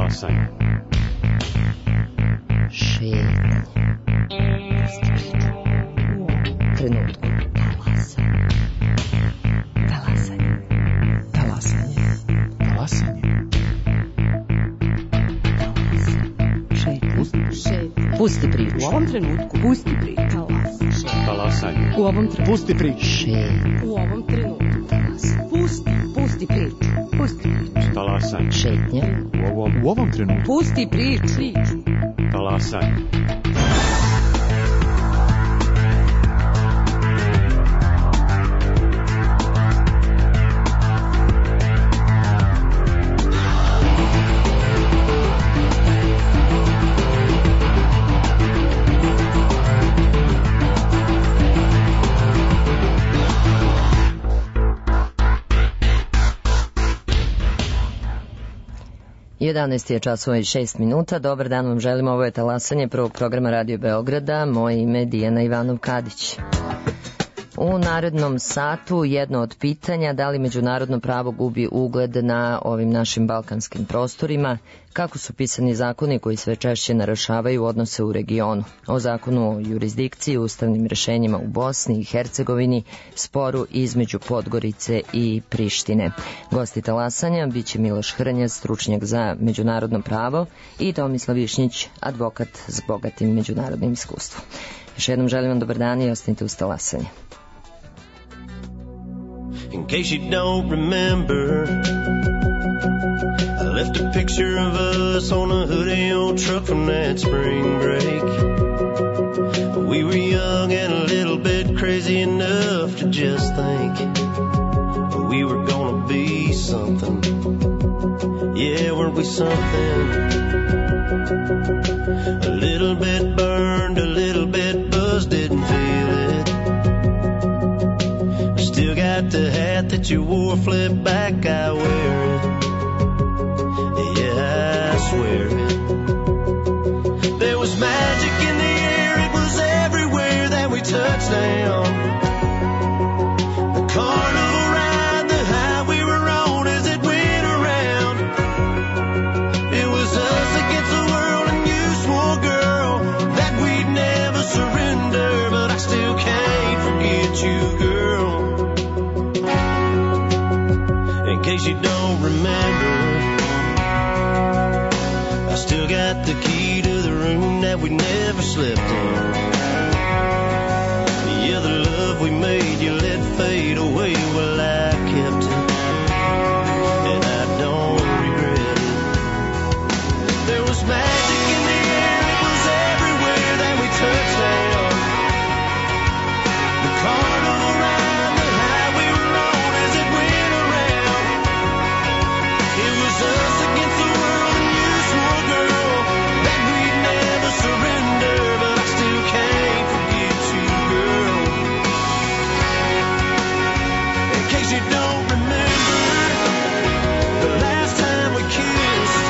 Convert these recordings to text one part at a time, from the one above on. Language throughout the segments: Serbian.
Talasanje. Šetnje. Trenutku. Talasanje. Talasanje. Talasanje. Pusti priču. U ovom trenutku. Pusti priču. Talasanje. U ovom trenutku. Pusti priču. U ovom trenutku. Pusti priču. Pusti priču. Talasanje. Šetnja. U ovom trenutku. Pusti priču. Talasanje. Jedanaest je časova i 6 minuta. Dobar dan vam želim, ovo je Talasanje prvog programa Radio Beograda. Moje ime je Dijana Ivanov-Kadić. U narednom satu jedno od pitanja: da li međunarodno pravo gubi ugled na ovim našim balkanskim prostorima, kako su pisani zakoni koji sve češće narušavaju odnose u regionu, o zakonu o jurisdikciji, ustavnim rešenjima u Bosni i Hercegovini, sporu između Podgorice i Prištine. Gosti Talasanja biće Miloš Hrnjaz, stručnjak za međunarodno pravo, i Tomislav Višnjić, advokat s bogatim međunarodnim iskustvom. Još jednom želim vam dobar dan i ostanite uz Talasanje. In case you don't remember, I left a picture of us on a hoodie old truck from that spring break. We were young and a little bit crazy enough to just think we were gonna be something. Yeah, weren't we something? A little bit burned, a little bit buzzed, didn't feel it. Still got the hat that you wore, flip back, I wear it. Yeah, I swear it. There was magic in the air, it was everywhere that we touched down. The carnival ride, the high we were on as it went around. It was us against the world, and you swore, girl, that we'd never surrender. But I still can't forget you, girl. In case you don't remember, I still got the key to the room that we never slept in. Yeah, the love we made you let fade away. Well, I kept it, and I don't regret it. There was magic in the air, it was everywhere that we touched down. The carnival ride, the high we were on as it went around. It was us against the world, and you swore, girl, that we'd never surrender. But I still can't forget you, girl. In case you don't remember, the last time we kissed,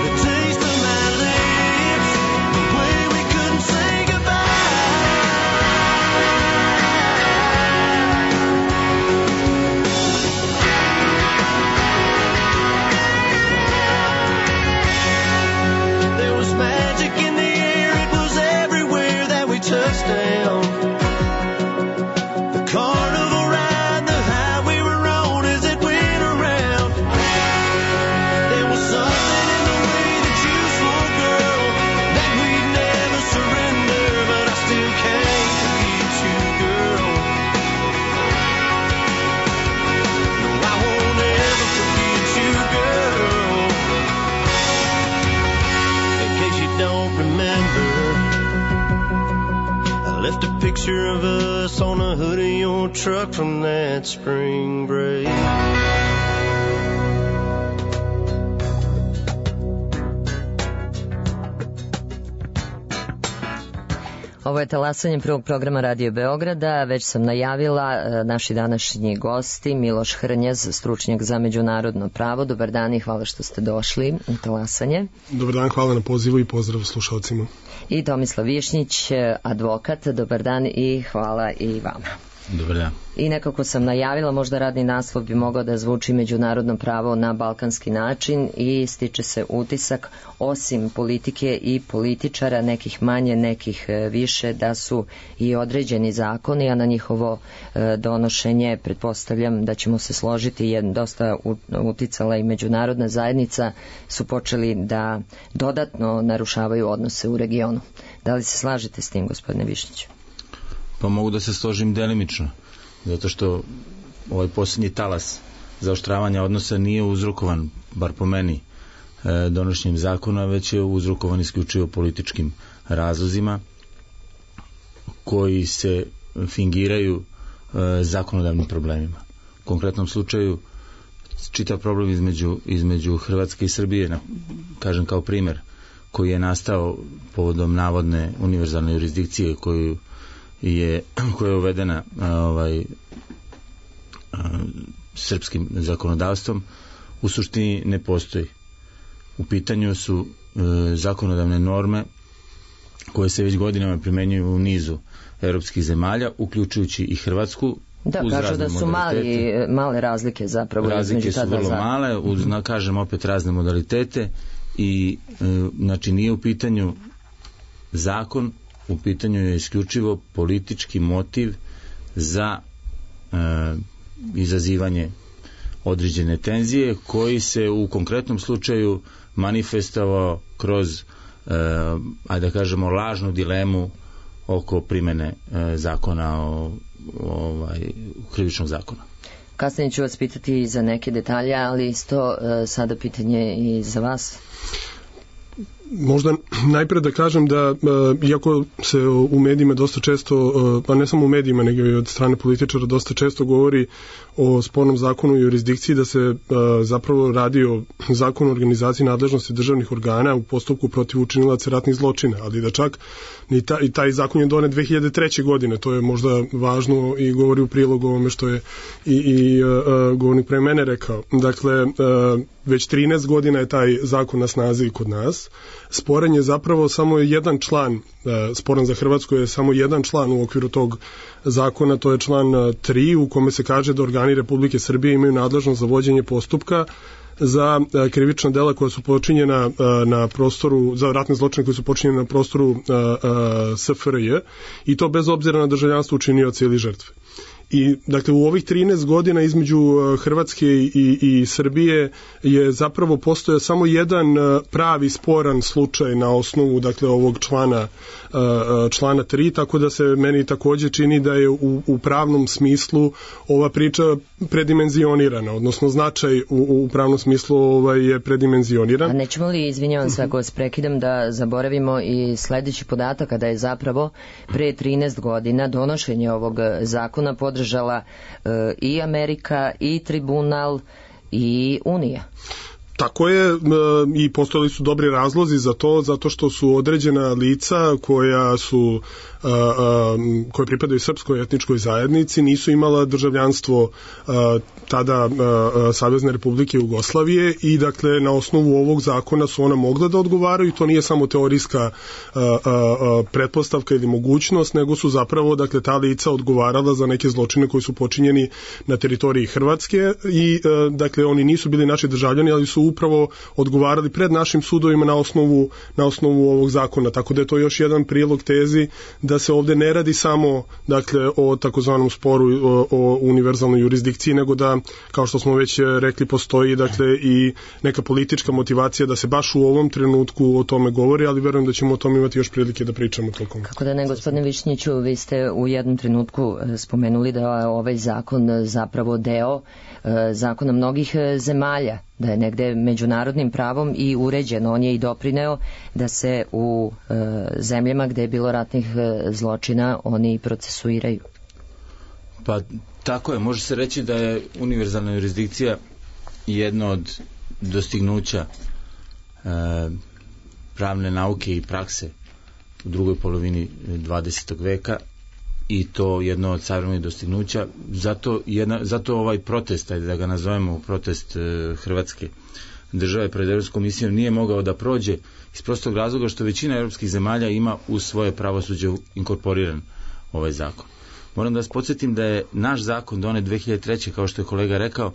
the taste of my lips, the way we couldn't say there was magic in the air, it was everywhere that we touched down. The carnival ride, the high we were on as it went around. There was something in the way that you swore, girl, that we'd never surrender. But I still can't forget you, girl. No, I won't ever forget you, girl. In case you don't remember, I left a picture of us on a hoodie old truck from that spring break. Ovo je Talasanje prvog programa Radio Beograda. Već sam najavila naši današnji gosti: Miloš Hrnjaz, stručnjak za međunarodno pravo. Dobar dan i hvala što ste došli u Talasanje. Dobar dan, hvala na pozivu i pozdrav slušalcima. I Tomislav Višnjić, advokat. Dobar dan i hvala i vama. Dobar dan. I nekako sam najavila, možda radni naslov bi mogao da zvuči međunarodno pravo na balkanski način i stiče se utisak, osim politike i političara, nekih manje, nekih više, da su i određeni zakoni, a na njihovo donošenje pretpostavljam da ćemo se složiti, je dosta uticala i međunarodna zajednica, su počeli da dodatno narušavaju odnose u regionu. Da li se slažete s tim, gospodine Višnjiću? Pa mogu da se složim delimično, zato što ovaj posljednji talas zaoštravanja odnosa nije uzrokovan, bar po meni, donošenjem zakona, već je uzrokovan isključivo političkim razlozima koji se fingiraju zakonodavnim problemima. U konkretnom slučaju čitav problem između Hrvatske i Srbije, kažem kao primer, koji je nastao povodom navodne univerzalne jurisdikcije koja je uvedena srpskim zakonodavstvom, u suštini ne postoji. U pitanju su zakonodavne norme koje se već godinama primenjuju u nizu evropskih zemalja, uključujući i Hrvatsku. Da, kažu da su male razlike zapravo. Razlike su vrlo male, uz, kažem opet, razne modalitete i znači nije u pitanju zakon, u pitanju je isključivo politički motiv za izazivanje određene tenzije koji se u konkretnom slučaju manifestovao kroz ajde da kažemo lažnu dilemu oko primene zakona krivičnog zakona. Kasnije ću vas pitati za neke detalje, ali isto sada pitanje i za vas. Možda najpre da kažem da, iako se u medijima dosta često, pa ne samo u medijima, nego i od strane političara dosta često govori o spornom zakonu i jurisdikciji, da se zapravo radi o zakonu o organizaciji nadležnosti državnih organa u postupku protiv učinilaca ratnih zločina, ali da čak i taj zakon je donet 2003. godine, to je možda važno i govori u prilog ovome što je i govornik pre mene rekao. Dakle, već 13 godina je taj zakon na snazi kod nas. Sporan je zapravo samo jedan član, sporan za Hrvatsku je samo jedan član u okviru tog zakona, to je član 3 u kome se kaže da organi Republike Srbije imaju nadležnost za vođenje postupka za krivična dela koja su počinjena na prostoru, za ratne zločine koji su počinjeni na prostoru SFRJ, i to bez obzira na državljanstvo učinioca ili žrtve. I dakle u ovih 13 godina između Hrvatske i Srbije je zapravo postojao samo jedan pravi sporan slučaj na osnovu dakle ovog člana 3, tako da se meni također čini da je u pravnom smislu ova priča predimenzionirana, odnosno značaj u pravnom smislu je predimenzioniran. A nećemo li, izvinjavam se ako vas prekidam, da zaboravimo i sledeći podatak, kada je zapravo pre 13 godina donošenje ovog zakona podržala i Amerika, i tribunal, i Unija. Tako je, i postojali su dobri razlozi za to, zato što su određena lica koja pripadaju srpskoj etničkoj zajednici, nisu imala državljanstvo tada Savezne Republike Jugoslavije, i dakle na osnovu ovog zakona su ona mogla da odgovaraju. To nije samo teorijska pretpostavka ili mogućnost, nego su zapravo dakle ta lica odgovarala za neke zločine koji su počinjeni na teritoriji Hrvatske, i dakle oni nisu bili naši državljani, ali su upravo odgovarali pred našim sudovima na osnovu ovog zakona, tako da je to još jedan prilog tezi da se ovde ne radi samo dakle o takozvanom sporu o univerzalnoj jurisdikciji, nego da, kao što smo već rekli, postoji dakle i neka politička motivacija da se baš u ovom trenutku o tome govori, ali verujem da ćemo o tome imati još prilike da pričamo tokom. Kako da ne, gospodine Višnjiću, vi ste u jednom trenutku spomenuli da je ovaj zakon zapravo deo zakona mnogih zemalja, da je negde međunarodnim pravom i uređeno. On je i doprineo da se u zemljama gde je bilo ratnih zločina oni procesuiraju. Pa tako je, može se reći da je univerzalna jurisdikcija jedno od dostignuća pravne nauke i prakse u drugoj polovini 20. veka, i to jedno od savremenih dostignuća. Zato ovaj protest, ajde da ga nazovemo protest Hrvatske države pred Evropskom komisijom, nije mogao da prođe iz prostog razloga što većina evropskih zemalja ima u svoje pravosuđe inkorporiran ovaj zakon. Moram da vas podsjetim da je naš zakon donet 2003. kao što je kolega rekao.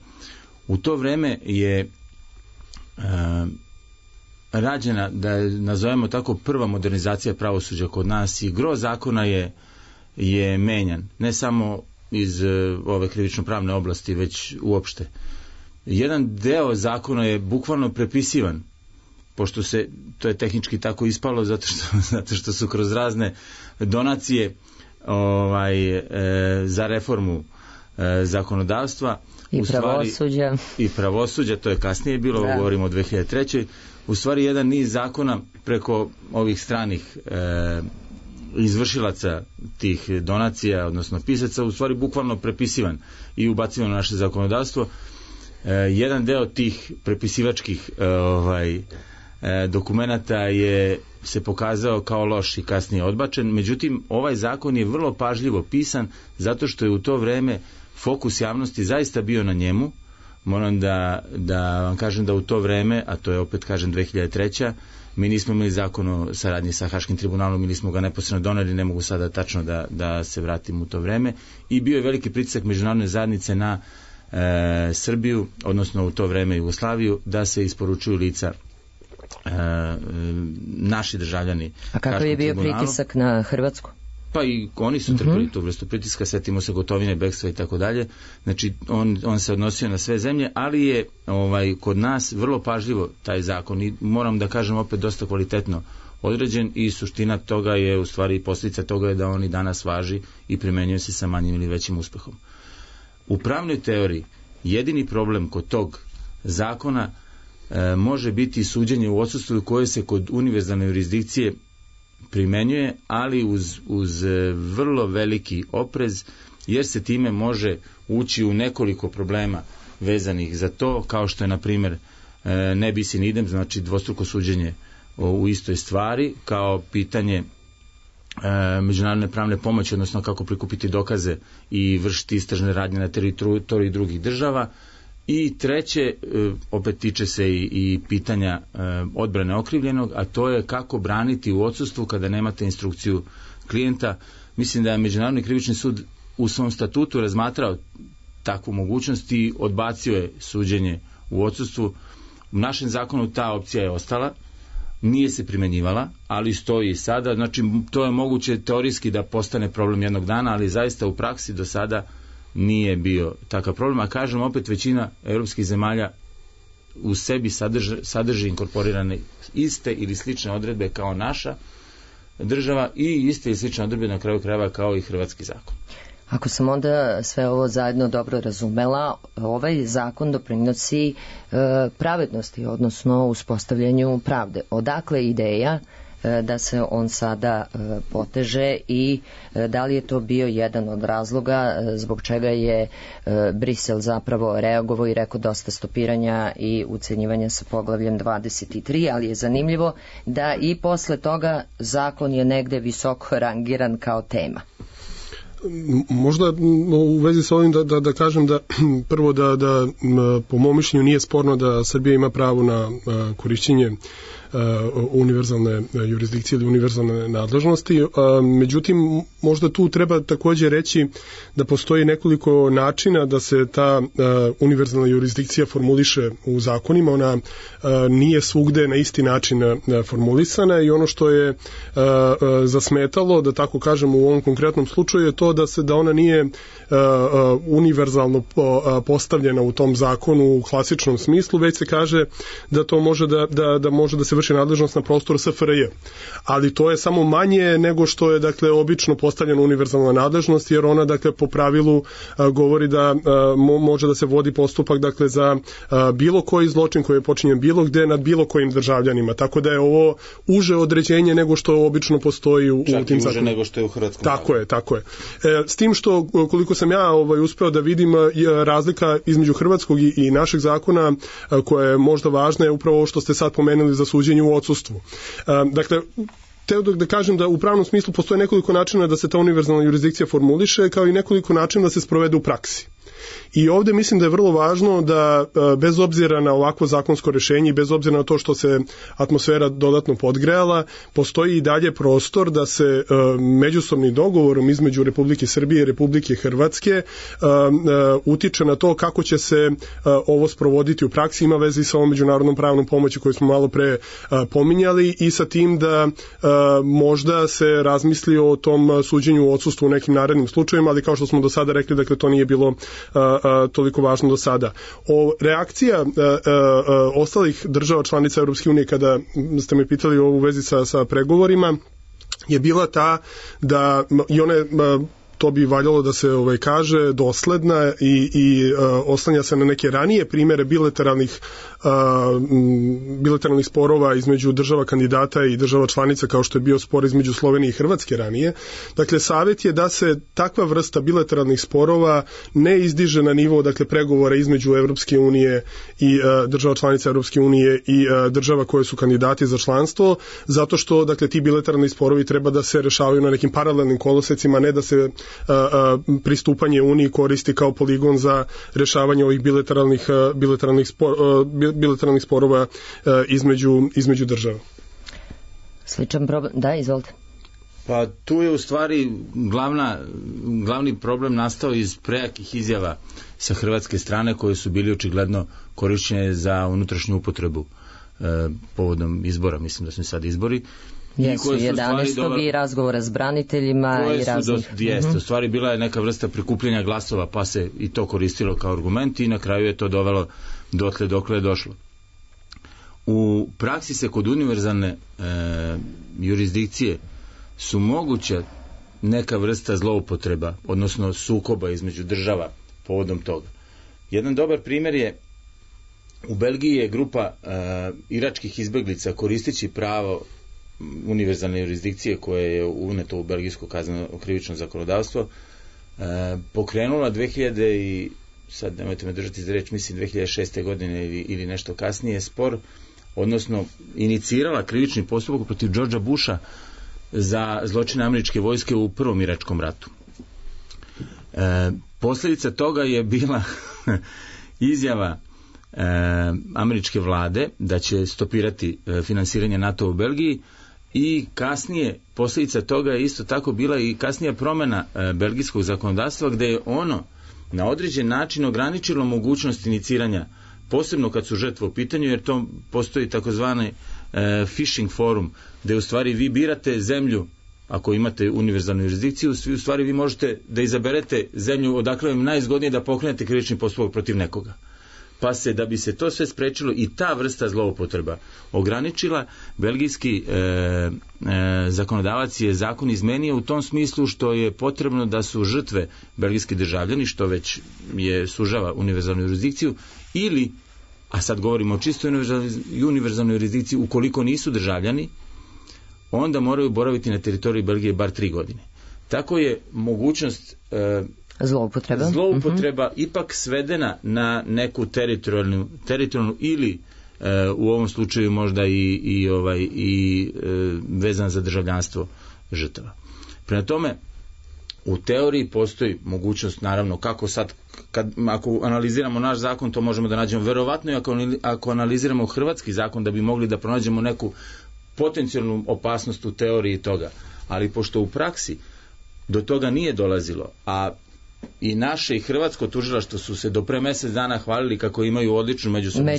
U to vreme je rađena, da je, nazovemo tako, prva modernizacija pravosuđa kod nas i gro zakona je menjan. Ne samo iz ove krivično-pravne oblasti, već uopšte. Jedan deo zakona je bukvalno prepisivan, pošto se, to je tehnički tako ispalo, zato što su kroz razne donacije za reformu zakonodavstva i pravosuđa, to je kasnije bilo, govorimo o 2003. U stvari jedan niz zakona preko ovih stranih izvršilaca tih donacija, odnosno pisaca, u stvari bukvalno prepisivan i ubacivan u naše zakonodavstvo. Jedan deo tih prepisivačkih dokumenata se pokazao kao loš i kasnije odbačen, međutim ovaj zakon je vrlo pažljivo pisan zato što je u to vreme fokus javnosti zaista bio na njemu. Moram da vam kažem da u to vreme, a to je opet kažem 2003. mi nismo imali zakon o saradnji sa Haškim tribunalom, mi nismo ga neposredno doneli, ne mogu sada tačno da se vratim u to vreme, i bio je veliki pritisak međunarodne zajednice na Srbiju, odnosno u to vreme Jugoslaviju, da se isporučuju lica naši državljani. A kako je bio pritisak na Hrvatsku? Pa i oni su trpili tu vrstu pritiska, setimo se Gotovine, bekstva i tako dalje. Znači on se odnosio na sve zemlje, ali je kod nas vrlo pažljivo taj zakon i moram da kažem opet dosta kvalitetno određen i suština toga je, u stvari posljedica toga je da on i danas važi i primenjuje se sa manjim ili većim uspehom. U pravnoj teoriji jedini problem kod tog zakona može biti suđenje u odsustvu koje se kod univerzalne jurisdikcije primenjuje, ali uz vrlo veliki oprez, jer se time može ući u nekoliko problema vezanih za to, kao što je na primjer ne bis in idem, znači dvostruko suđenje u istoj stvari, kao pitanje međunarodne pravne pomoći, odnosno kako prikupiti dokaze i vršiti istražne radnje na teritoriji drugih država. I treće, opet tiče se i pitanja odbrane okrivljenog, a to je kako braniti u odsustvu kada nemate instrukciju klijenta. Mislim da je Međunarodni krivični sud u svom statutu razmatrao takvu mogućnost i odbacio je suđenje u odsustvu. U našem zakonu ta opcija je ostala, nije se primenjivala, ali stoji i sada. Znači, to je moguće teorijski da postane problem jednog dana, ali zaista u praksi do sada nije bio takav problem, a kažem opet, većina europskih zemalja u sebi sadrži inkorporirane iste ili slične odredbe kao naša država i iste ili slične odredbe na kraju krajeva kao i hrvatski zakon. Ako sam onda sve ovo zajedno dobro razumela, ovaj zakon doprinosi pravednosti, odnosno uspostavljanju pravde. Odakle ideja da se on sada poteže i da li je to bio jedan od razloga zbog čega je Brisel zapravo reagovao i rekao dosta stopiranja i ucenjivanja sa poglavljem 23, ali je zanimljivo da i posle toga zakon je negde visoko rangiran kao tema. Možda u vezi sa ovim da kažem da prvo da po mom mišljenju nije sporno da Srbija ima pravo na korišćenje univerzalne jurisdikcije ili univerzalne nadležnosti. Međutim, možda tu treba također reći da postoji nekoliko načina da se ta univerzalna jurisdikcija formuliše u zakonima. Ona nije svugde na isti način formulisana i ono što je zasmetalo, da tako kažem, u ovom konkretnom slučaju je to da ona nije univerzalno postavljena u tom zakonu u klasičnom smislu, već se kaže da to može da može da se vrši nadležnost na prostoru SFRJ. Ali to je samo manje nego što je, dakle, obično postavljena univerzalna nadležnost, jer ona, dakle, po pravilu govori da može da se vodi postupak, dakle, za bilo koji zločin koji je počinjen bilo gde nad bilo kojim državljanima. Tako da je ovo uže određenje nego što obično postoji u tim zakonima. Čak i uže nego što je u hrvatskom. Tako je. S tim što, koliko sam ja uspeo da vidim, razlika između hrvatskog i našeg zakona koja je možda važna je upravo ovo što ste sad pomenuli za suđenje u odsustvu. Dakle, teo da kažem da u pravnom smislu postoje nekoliko načina da se ta univerzalna jurisdikcija formuliše, kao i nekoliko načina da se sprovede u praksi. I ovde mislim da je vrlo važno da bez obzira na ovakvo zakonsko rešenje i bez obzira na to što se atmosfera dodatno podgrejala, postoji i dalje prostor da se međusobnim dogovorom između Republike Srbije i Republike Hrvatske utiče na to kako će se ovo sprovoditi u praksi. Ima veze i sa ovom međunarodnom pravnom pomoći koju smo malo pre pominjali i sa tim da možda se razmisli o tom suđenju u odsustvu u nekim narednim slučajevima, ali kao što smo do sada rekli, dakle to nije bilo toliko važno do sada. Reakcija ostalih država članica Europske unije kada ste me pitali u vezi sa pregovorima je bila ta da i one to bi valjalo da se kaže dosledna i oslanja se na neke ranije primere bilateralnih sporova između država kandidata i država članica, kao što je bio spor između Slovenije i Hrvatske ranije. Dakle, savjet je da se takva vrsta bilateralnih sporova ne izdiže na nivo, dakle, pregovora između Evropske unije i država članica Evropske unije i država koje su kandidati za članstvo, zato što, dakle, ti bilateralni sporovi treba da se rešavaju na nekim paralelnim kolosecima, ne da se pristupanje Uniji koristi kao poligon za rešavanje ovih bilateralnih sporova između država. Sličan problem, da, izvolite. Pa tu je u stvari glavni problem nastao iz prejakih izjava sa hrvatske strane koje su bili očigledno korišćene za unutrašnju upotrebu povodom izbora, mislim da su sad izbori. Jesu, 11. i razgovora s braniteljima i raznih... Jeste, u stvari bila je neka vrsta prikupljanja glasova, pa se i to koristilo kao argument i na kraju je to dovelo dotle dokle je došlo. U praksi se kod univerzalne jurisdikcije su moguća neka vrsta zloupotreba, odnosno sukoba između država povodom toga. Jedan dobar primjer je u Belgiji je grupa iračkih izbeglica koristeći pravo univerzalne jurisdikcije koje je uneto u belgijsko kazneno krivično zakonodavstvo pokrenula 2000 sad nemojte me držati za reč, mislim 2006. godine ili nešto kasnije spor, odnosno inicirala krivični postupak protiv Georgea Busha za zločine američke vojske u prvom iračkom ratu. Posljedica toga je bila izjava američke vlade da će stopirati finansiranje NATO u Belgiji i kasnije posljedica toga je isto tako bila i kasnija promjena belgijskog zakonodavstva gdje je ono na određen način ograničilo mogućnost iniciranja, posebno kad su žrtve u pitanju, jer to postoji takozvani fishing forum gdje u stvari vi birate zemlju, ako imate univerzalnu jurisdikciju, u stvari vi možete da izaberete zemlju odakle vam najzgodnije da pokrenete krivični postupak protiv nekoga. Pa se, da bi se to sve sprečilo i ta vrsta zloupotreba ograničila, belgijski zakonodavac je zakon izmenio u tom smislu što je potrebno da su žrtve belgijski državljani, što već je sužava univerzalnu jurisdikciju, ili, a sad govorimo o čistoj univerzalnoj jurisdikciji, ukoliko nisu državljani, onda moraju boraviti na teritoriji Belgije bar 3 godine. Tako je mogućnost zloupotreba ipak svedena na neku teritorijalnu ili u ovom slučaju možda i vezan za državljanstvo žrtava. Prema tome, u teoriji postoji mogućnost, naravno, kako sad, ako analiziramo naš zakon, to možemo da nađemo, verovatno i ako analiziramo hrvatski zakon, da bi mogli da pronađemo neku potencijalnu opasnost u teoriji toga. Ali pošto u praksi do toga nije dolazilo, a i naše i hrvatsko tužilaštvo su se do pre mjesec dana hvalili kako imaju odličnu međusobnu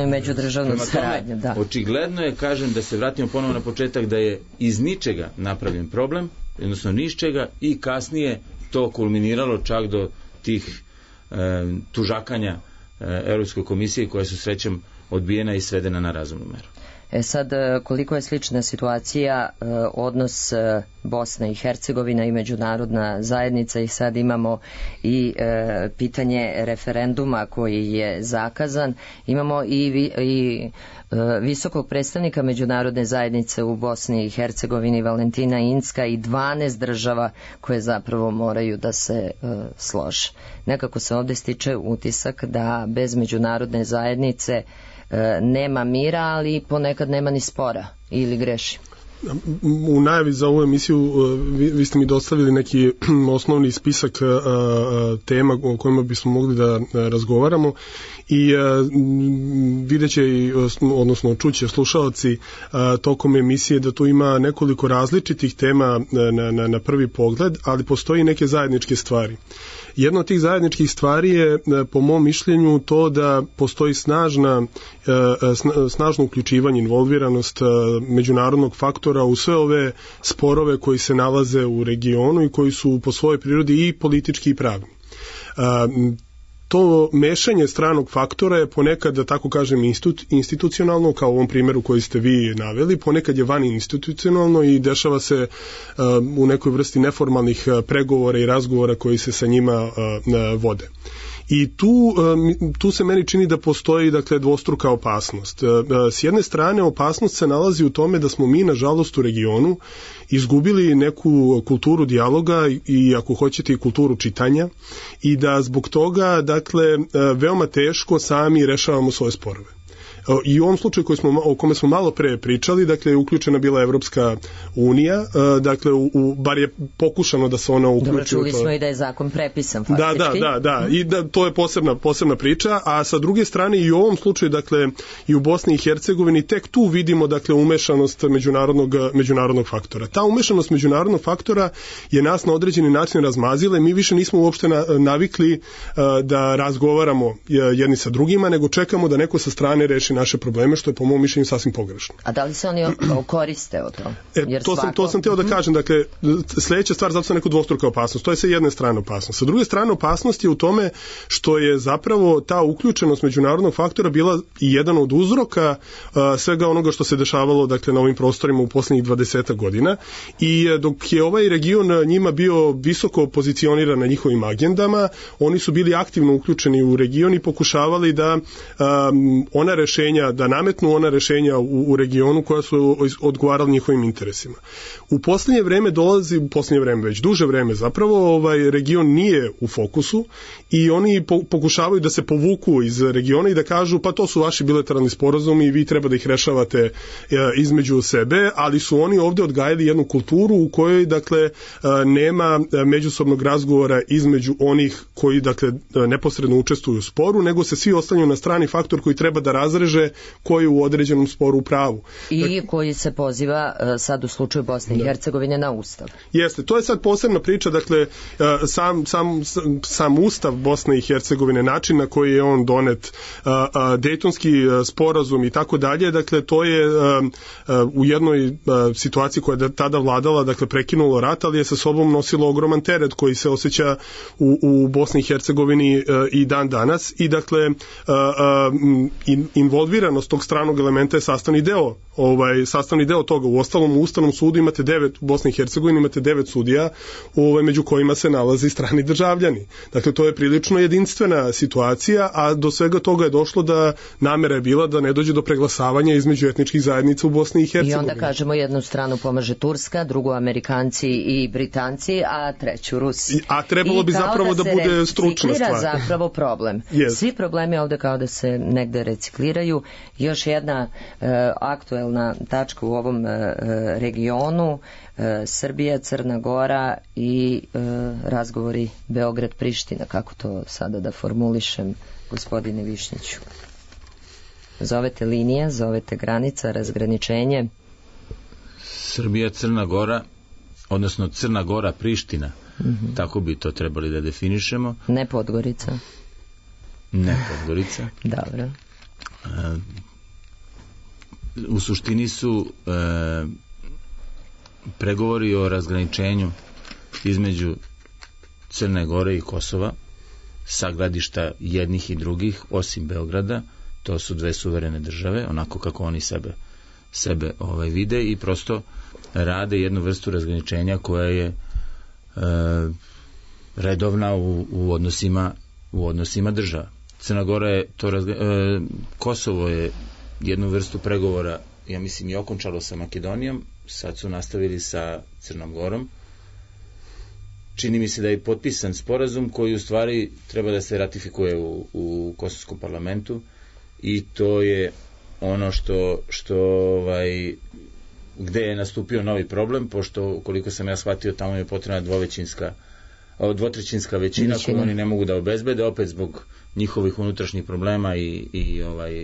i međudržavnu saradnju. Da. Očigledno je, kažem, da se vratimo ponovo na početak, da je iz ničega napravljen problem, odnosno ni iz čega, i kasnije to kulminiralo čak do tih tužakanja Europskoj komisije koja su srećem odbijena i svedena na razumnu meru. Sad, koliko je slična situacija, odnos Bosna i Hercegovina i međunarodna zajednica, i sad imamo i pitanje referenduma koji je zakazan, imamo i visokog predstavnika međunarodne zajednice u Bosni i Hercegovini, Valentina Incka, i 12 država koje zapravo moraju da se slože. Nekako se ovdje stiče utisak da bez međunarodne zajednice nema mira, ali ponekad nema ni spora, ili greši? U najavi za ovu emisiju vi ste mi dostavili neki osnovni spisak tema o kojima bismo mogli da razgovaramo i vidjet će, odnosno čuće slušalci tokom emisije da tu ima nekoliko različitih tema na prvi pogled, ali postoji neke zajedničke stvari. Jedna od tih zajedničkih stvari je, po mom mišljenju, to da postoji snažno uključivanje, involviranost međunarodnog faktora u sve ove sporove koji se nalaze u regionu i koji su po svojoj prirodi i politički i pravni. To mešanje stranog faktora je ponekad, da tako kažem, institucionalno, kao u ovom primjeru koji ste vi naveli, ponekad je van institucionalno i dešava se u nekoj vrsti neformalnih pregovora i razgovora koji se sa njima vode. I tu se meni čini da postoji, dakle, dvostruka opasnost. S jedne strane, opasnost se nalazi u tome da smo mi, nažalost, u regionu izgubili neku kulturu dijaloga i, ako hoćete, i kulturu čitanja i da zbog toga, dakle, veoma teško sami rešavamo svoje sporove. I u ovom slučaju o kome smo malo pre pričali, dakle, je uključena bila Evropska unija, dakle, bar je pokušano da se ona uključi. Dobro, čuli smo i da je zakon prepisan faktički. Da, i da to je posebna priča, a sa druge strane i u ovom slučaju, dakle, i u Bosni i Hercegovini tek tu vidimo, dakle, umešanost međunarodnog faktora. Ta umešanost međunarodnog faktora je nas na određeni način razmazila i mi više nismo uopšte navikli da razgovaramo jedni sa drugima, nego čekamo da neko sa strane reši naše probleme, što je po mom mišljenju sasvim pogrešno. A da li se oni koriste od to? To sam teo da kažem, dakle, sljedeća stvar, zato sam neko dvostruka opasnost, to je sa jedne strane opasnost. Sa druge strane, opasnost je u tome što je zapravo ta uključenost međunarodnog faktora bila i jedan od uzroka svega onoga što se dešavalo, dakle, na ovim prostorima u posljednjih 20 godina i dok je ovaj region njima bio visoko pozicioniran na njihovim agendama, oni su bili aktivno uključeni u region i pokušavali da da nametnu ona rešenja u regionu koja su odgovarala njihovim interesima. U posljednje vreme već duže vreme zapravo ovaj region nije u fokusu i oni pokušavaju da se povuku iz regiona i da kažu pa to su vaši bilateralni sporazumi i vi treba da ih rešavate između sebe, ali su oni ovdje odgajali jednu kulturu u kojoj, dakle, nema međusobnog razgovora između onih koji, dakle, neposredno učestvuju u sporu, nego se svi ostavljaju na strani faktor koji treba da razreže koji je u određenom sporu u pravu. I koji se poziva sad u slučaju Bosne i Hercegovine na Ustav. Jeste, to je sad posebna priča, dakle, sam Ustav Bosne i Hercegovine, način na koji je on donet, Dejtonski sporazum i tako dalje, dakle, to je u jednoj situaciji koja je tada vladala, dakle, prekinulo rat, ali je sa sobom nosilo ogroman teret koji se osjeća u Bosni i Hercegovini i dan danas i, dakle, involviranost tog stranog elementa je sastavni deo toga. U ostalom, u Ustavnom sudu imate u Bosni i Hercegovini imate 9 sudija, među kojima se nalaze strani državljani. Dakle, to je prilično jedinstvena situacija, a do svega toga je došlo da namera je bila da ne dođe do preglasavanja između etničkih zajednica u Bosni i Hercegovini. I onda kažemo jednu stranu pomaže Turska, drugu Amerikanci i Britanci, a treću Rusi. A trebalo bi zapravo da bude stručna stvar. Zapravo problem. Yes. Svi problemi ovde kao da se negde recikliraju. Još jedna aktuelna tačka u ovom regionu, Srbija, Crna Gora i razgovori Beograd-Priština, kako to sada da formulišem, gospodine Višnjiću? Zovete linija, zovete granica, razgraničenje? Srbija, Crna Gora, odnosno Crna Gora, Priština, tako bi to trebali da definišemo. Ne Podgorica. Ne Podgorica. Dobro. U suštini su pregovori o razgraničenju između Crne Gore i Kosova sa gledišta jednih i drugih, osim Beograda. To su dve suverene države, onako kako oni sebe vide i prosto rade jednu vrstu razgraničenja koja je redovna u odnosima država. Crna Gora je Kosovo je jednu vrstu pregovora, ja mislim, i okončalo sa Makedonijom, sad su nastavili sa Crnom Gorom. Čini mi se da je potpisan sporazum koji u stvari treba da se ratifikuje u Kosovskom parlamentu i to je ono što gde je nastupio novi problem, pošto koliko sam ja shvatio, tamo je potrebna dvotrećinska većina koju oni ne mogu da obezbede, opet zbog njihovih unutrašnjih problema i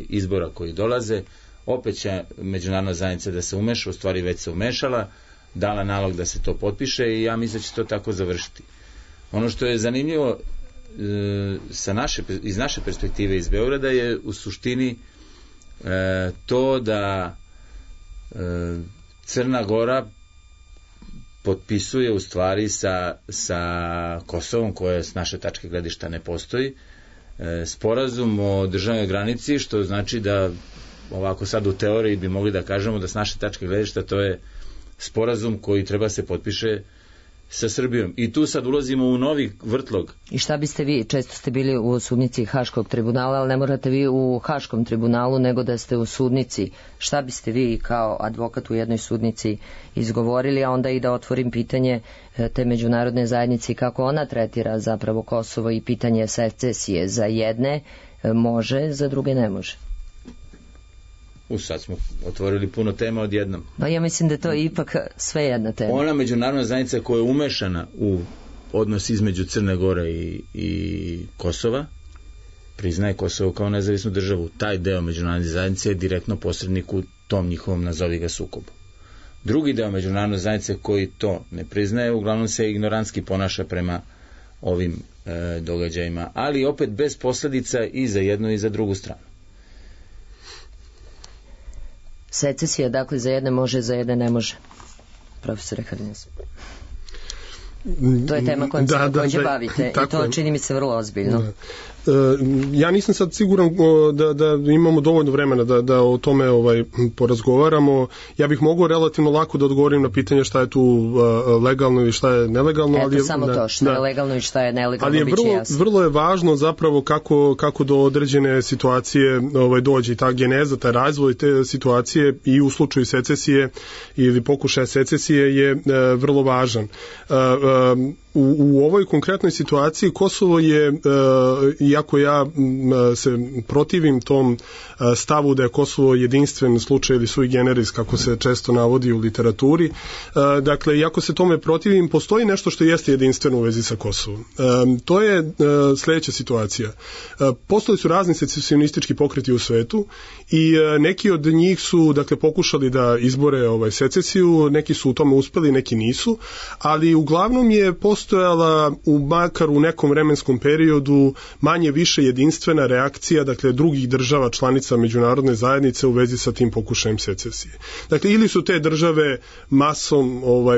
izbora koji dolaze. Opet će međunarodna zajednica da se umeša, u stvari već se umešala, dala nalog da se to potpiše i ja mislim da će to tako završiti. Ono što je zanimljivo iz naše perspektive iz Beograda je u suštini to da Crna Gora potpisuje u stvari sa Kosovom, koje s naše tačke gledišta ne postoji, sporazum o državnoj granici, što znači da ovako sad u teoriji bi mogli da kažemo da s naše tačke gledišta to je sporazum koji treba se potpiše sa Srbijom. I tu sad ulazimo u novi vrtlog. I šta biste vi, često ste bili u sudnici Haškog tribunala, ali ne morate vi u Haškom tribunalu, nego da ste u sudnici. Šta biste vi kao advokat u jednoj sudnici izgovorili, a onda i da otvorim pitanje te međunarodne zajednice, kako ona tretira zapravo Kosovo i pitanje secesije. Za jedne može, za druge ne može. Sad smo otvorili puno tema odjednom. Pa ja mislim da to je ipak sve jedna tema. Ona međunarodna zajednica koja je umešana u odnos između Crne Gore i Kosova, priznaje Kosovo kao nezavisnu državu. Taj deo međunarodne zajednice je direktno posrednik u tom njihovom, nazovi ga, sukobu. Drugi deo međunarodne zajednice koji to ne priznaje, uglavnom se ignorantski ponaša prema ovim događajima, ali opet bez posledica i za jednu i za drugu stranu. Secesija, dakle, za jedne može, za jedne ne može. Profesore Harnjes. To je tema kojom se takođe bavite i to čini mi se vrlo ozbiljno. Ja nisam sad siguran da imamo dovoljno vremena da o tome porazgovaramo. Ja bih mogao relativno lako da odgovorim na pitanje šta je tu legalno i šta je nelegalno. Eto, samo to, šta je legalno i šta je nelegalno, ali vrlo je važno zapravo kako do određene situacije dođe i ta geneza, taj razvoj te situacije i u slučaju secesije ili pokušaja secesije je vrlo važan. U ovoj konkretnoj situaciji Kosovo je, iako ja se protivim tom stavu da je Kosovo jedinstven slučaj ili sui generis, kako se često navodi u literaturi, dakle, iako se tome protivim, postoji nešto što jeste jedinstveno u vezi sa Kosovom. To je sledeća situacija. Postojali su razni secesionistički pokreti u svetu i neki od njih su, dakle, pokušali da izbore secesiju, neki su u tome uspeli, neki nisu, ali uglavnom je postojala makar u nekom vremenskom periodu manje više jedinstvena reakcija, dakle, drugih država članica međunarodne zajednice u vezi sa tim pokušajem secesije. Dakle, ili su te države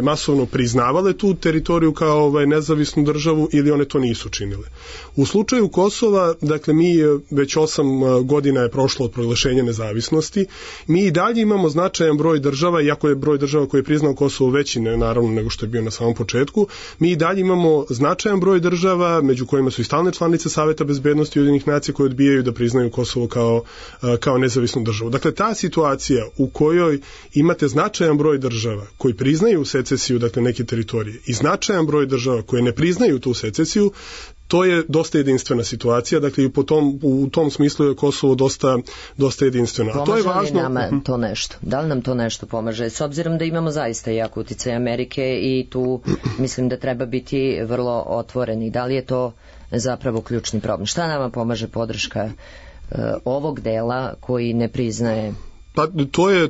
masovno priznavale tu teritoriju kao nezavisnu državu, ili one to nisu činile. U slučaju Kosova, dakle, mi već 8 godina je prošlo od proglašenja nezavisnosti, mi i dalje imamo značajan broj država, iako je broj država koji je priznao Kosovo veći, naravno, nego što je bio na samom početku, mi i dalje imamo značajan broj država, među kojima su i stalne članice Saveta bezbednosti Ujedinjenih nacija koje odbijaju da priznaju Kosovo kao nezavisnu državu. Dakle, ta situacija u kojoj imate značajan broj država koji priznaju secesiju, dakle, neke teritorije, i značajan broj država koje ne priznaju tu secesiju, to je dosta jedinstvena situacija, dakle, i u tom smislu je Kosovo dosta jedinstveno. A to je važno. Pomaže li nama to nešto? Da li nam to nešto pomaže? S obzirom da imamo zaista jak uticaj Amerike i tu mislim da treba biti vrlo otvoreni. Da li je to zapravo ključni problem? Šta nama pomaže podrška ovog dela koji ne priznaje? Pa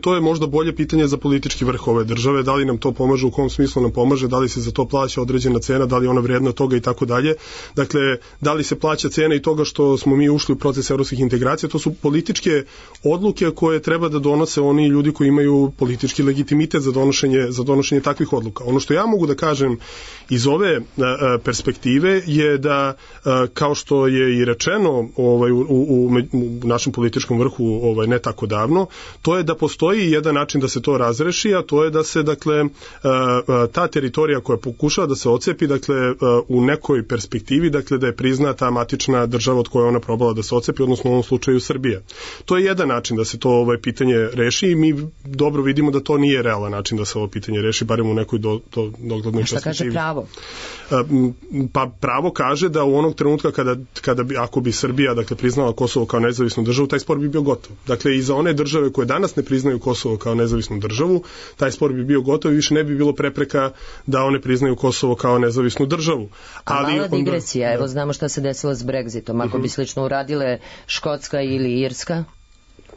to je možda bolje pitanje za politički vrh ove države, da li nam to pomaže, u kom smislu nam pomaže, da li se za to plaća određena cena, da li je ona vrijedna toga i tako dalje. Dakle, da li se plaća cena i toga što smo mi ušli u proces evropskih integracija, to su političke odluke koje treba da donose oni ljudi koji imaju politički legitimitet za donošenje takvih odluka. Ono što ja mogu da kažem iz ove perspektive je da, kao što je i rečeno u našem političkom vrhu ne tako davno, to je da postoji jedan način da se to razreši, a to je da se, dakle, ta teritorija koja pokušava da se ocepi, dakle, u nekoj perspektivi, dakle, da je priznata matična država od koje ona probala da se ocepi, odnosno u ovom slučaju Srbija. To je jedan način da se to pitanje reši i mi dobro vidimo da to nije realan način da se ovo pitanje reši, barem u nekoj doglednoj perspektivi. Šta kaže pravo? Pa pravo kaže da u onog trenutka ako bi Srbija, dakle, priznala Kosovo kao nezavisnu državu, taj spor bi bio gotov. Dakle, i za one države koje danas ne priznaju Kosovo kao nezavisnu državu, taj spor bi bio gotov i više ne bi bilo prepreka da one priznaju Kosovo kao nezavisnu državu. Ali mala digresija, evo znamo šta se desilo s Brexitom. Ako bi slično uradile Škotska ili Irska,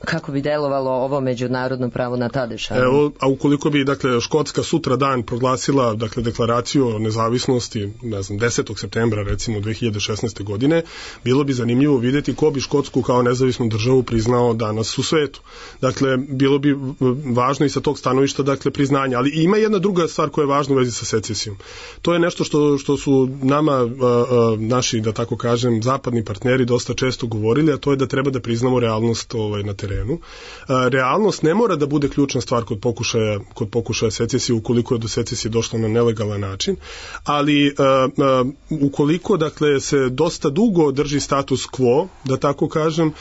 kako bi delovalo ovo međunarodno pravo na ta dešavanja? Evo, a ukoliko bi, dakle, Škotska sutra dan proglasila, dakle, deklaraciju o nezavisnosti, ne znam, 10. septembra, recimo, 2016. godine, bilo bi zanimljivo vidjeti ko bi Škotsku kao nezavisnu državu priznao danas u svetu. Dakle, bilo bi važno i sa tog stanovišta, dakle, priznanja. Ali ima jedna druga stvar koja je važna u vezi sa secesijom. To je nešto što su nama, naši, da tako kažem, zapadni partneri dosta često govorili, a to je da treba da priznamo realnost na terenu. Realnost ne mora da bude ključna stvar kod pokušaja secesije ukoliko je do secesije došlo na nelegalan način, ali ukoliko, dakle, se dosta dugo drži status quo, da tako kažem,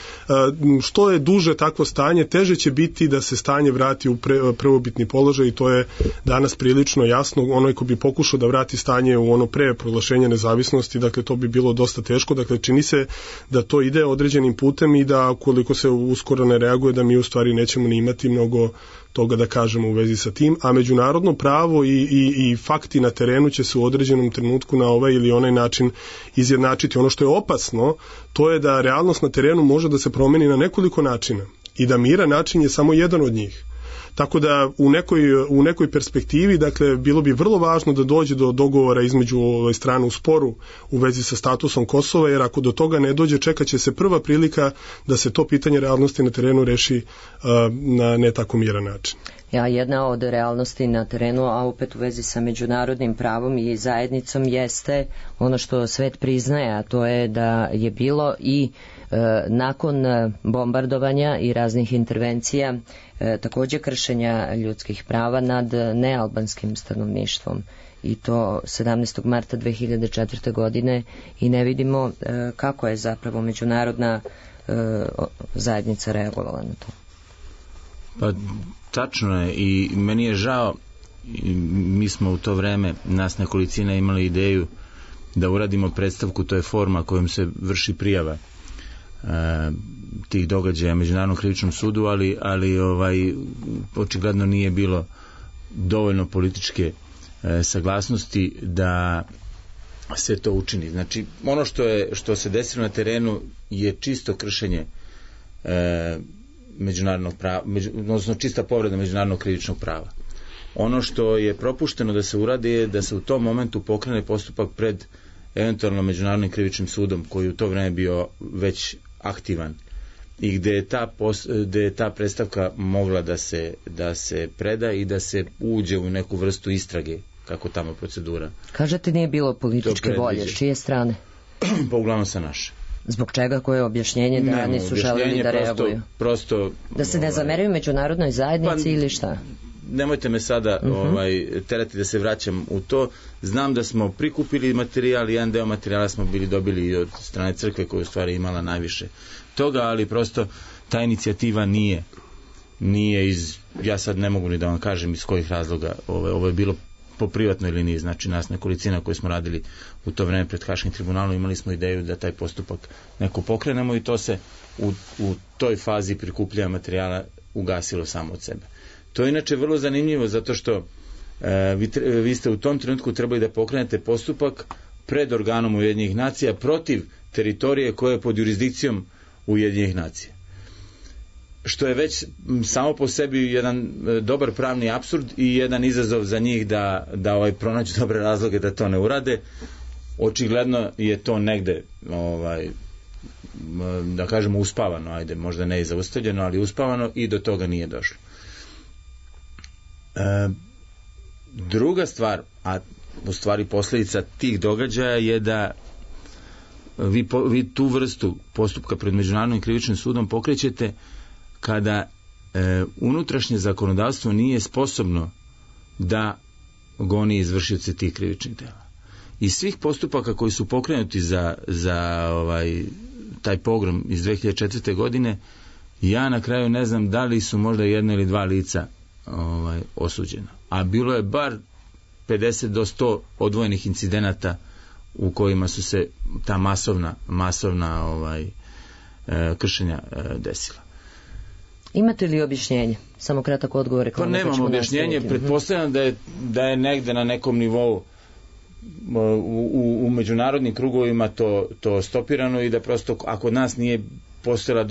što je duže takvo stanje, teže će biti da se stanje vrati u prvobitni položaj i to je danas prilično jasno. Onaj ko bi pokušao da vrati stanje u ono pre proglašenja nezavisnosti, dakle, to bi bilo dosta teško. Dakle, čini se da to ide određenim putem i da ukoliko se uskoro ne reaguje, da mi u stvari nećemo ni imati mnogo toga da kažemo u vezi sa tim, a međunarodno pravo i fakti na terenu će se u određenom trenutku na ovaj ili onaj način izjednačiti. Ono što je opasno, to je da realnost na terenu može da se promeni na nekoliko načina i da miran način je samo jedan od njih. Tako da u nekoj perspektivi, dakle, bilo bi vrlo važno da dođe do dogovora između strane u sporu u vezi sa statusom Kosova, jer ako do toga ne dođe, čekat će se prva prilika da se to pitanje realnosti na terenu reši na ne tako miran način. Jedna od realnosti na terenu, a opet u vezi sa međunarodnim pravom i zajednicom, jeste ono što svet priznaje, a to je da je bilo i nakon bombardovanja i raznih intervencija također kršenja ljudskih prava nad nealbanskim stanovništvom, i to 17. marta 2004. godine, i ne vidimo kako je zapravo međunarodna zajednica reagovala na to. Pa tačno je, i meni je žao, mi smo u to vreme, nas nekolicina, imali ideju da uradimo predstavku, to je forma kojom se vrši prijava tih događaja Međunarodnom krivičnom sudu, ali očigledno nije bilo dovoljno političke saglasnosti da se to učini. Znači, ono što se desilo na terenu je čisto kršenje međunarodnog prava, odnosno čista povreda međunarodnog krivičnog prava. Ono što je propušteno da se uradi je da se u tom momentu pokrene postupak pred eventualno Međunarodnim krivičnim sudom, koji u to vreme bio već aktivan i gde je ta predstavka mogla da se preda i da se uđe u neku vrstu istrage, kako tamo procedura. Kažete, nije bilo političke volje, s čije strane? Pa uglavnom sa naše. Zbog čega? Koje je objašnjenje da nisu želeli da reaguju? Prosto, da se ne zameraju međunarodnoj zajednici ili šta? Nemojte me sada terati da se vraćam u to. Znam da smo prikupili materijal, jedan deo materijala smo dobili i od strane crkve, koja je u stvari imala najviše toga, ali prosto ta inicijativa nije iz, ja sad ne mogu ni da vam kažem iz kojih razloga, ovo je bilo po privatnoj liniji, znači nas nekolicina koji smo radili u to vreme pred Haškim tribunalom, imali smo ideju da taj postupak neko pokrenemo i to se u toj fazi prikupljanja materijala ugasilo samo od sebe. To je inače vrlo zanimljivo, zato što vi ste u tom trenutku trebali da pokrenete postupak pred organom Ujedinjenih nacija protiv teritorije koja je pod jurisdikcijom Ujedinjenih nacija. Što je već samo po sebi jedan dobar pravni apsurd i jedan izazov za njih da pronađu dobre razloge da to ne urade. Očigledno je to negde da kažemo uspavano, ajde, možda ne i zaustavljeno, ali uspavano, i do toga nije došlo. Druga stvar, a u stvari posljedica tih događaja je da vi tu vrstu postupka pred Međunarodnim krivičnim sudom pokrećete kada unutrašnje zakonodavstvo nije sposobno da goni izvršioce tih krivičnih dela. Iz svih postupaka koji su pokrenuti za taj pogrom iz 2004. godine, ja na kraju ne znam da li su možda jedno ili dva lica osuđena. A bilo je bar 50 do 100 odvojenih incidenata u kojima su se ta masovna kršenja desila. Imate li objašnjenje? Samo kratak odgovor. Pa nemam objašnjenje, pretpostavljam da je negde na nekom nivou u međunarodnim krugovima to stopirano i da prosto ako od nas nije postojala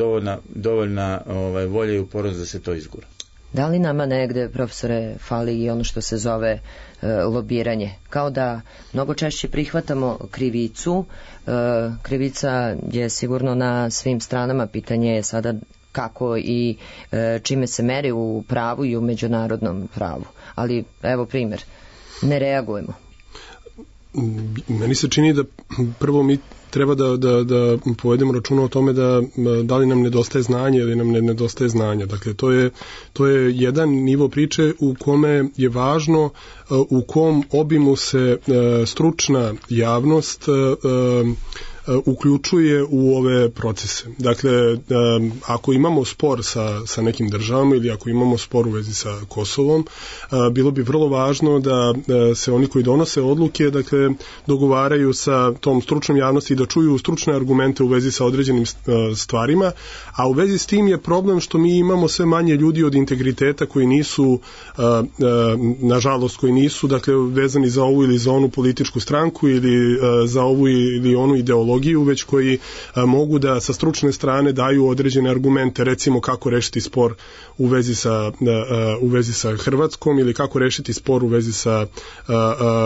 dovoljna volja i upornost da se to izgura. Da li nama negde, profesore, fali i ono što se zove lobiranje? Kao da mnogo češće prihvatamo krivicu. Krivica je sigurno na svim stranama, pitanje je sada kako i čime se meri u pravu i u međunarodnom pravu. Ali evo primjer, ne reagujemo. Meni se čini da prvo mi treba da povedemo računa o tome da li nam nedostaje znanje ili nam ne nedostaje znanja. Dakle, to je jedan nivo priče u kome je važno u kom obimu se stručna javnost uključuje u ove procese. Dakle, ako imamo spor sa nekim državama ili ako imamo spor u vezi sa Kosovom, bilo bi vrlo važno da se oni koji donose odluke, dakle, dogovaraju sa tom stručnom javnosti i da čuju stručne argumente u vezi sa određenim stvarima, a u vezi s tim je problem što mi imamo sve manje ljudi od integriteta koji nisu, nažalost, koji nisu, dakle, vezani za ovu ili za onu političku stranku ili za ovu ili onu ideologiju, već koji mogu da sa stručne strane daju određene argumente, recimo kako rešiti spor u vezi sa Hrvatskom ili kako rešiti spor u vezi sa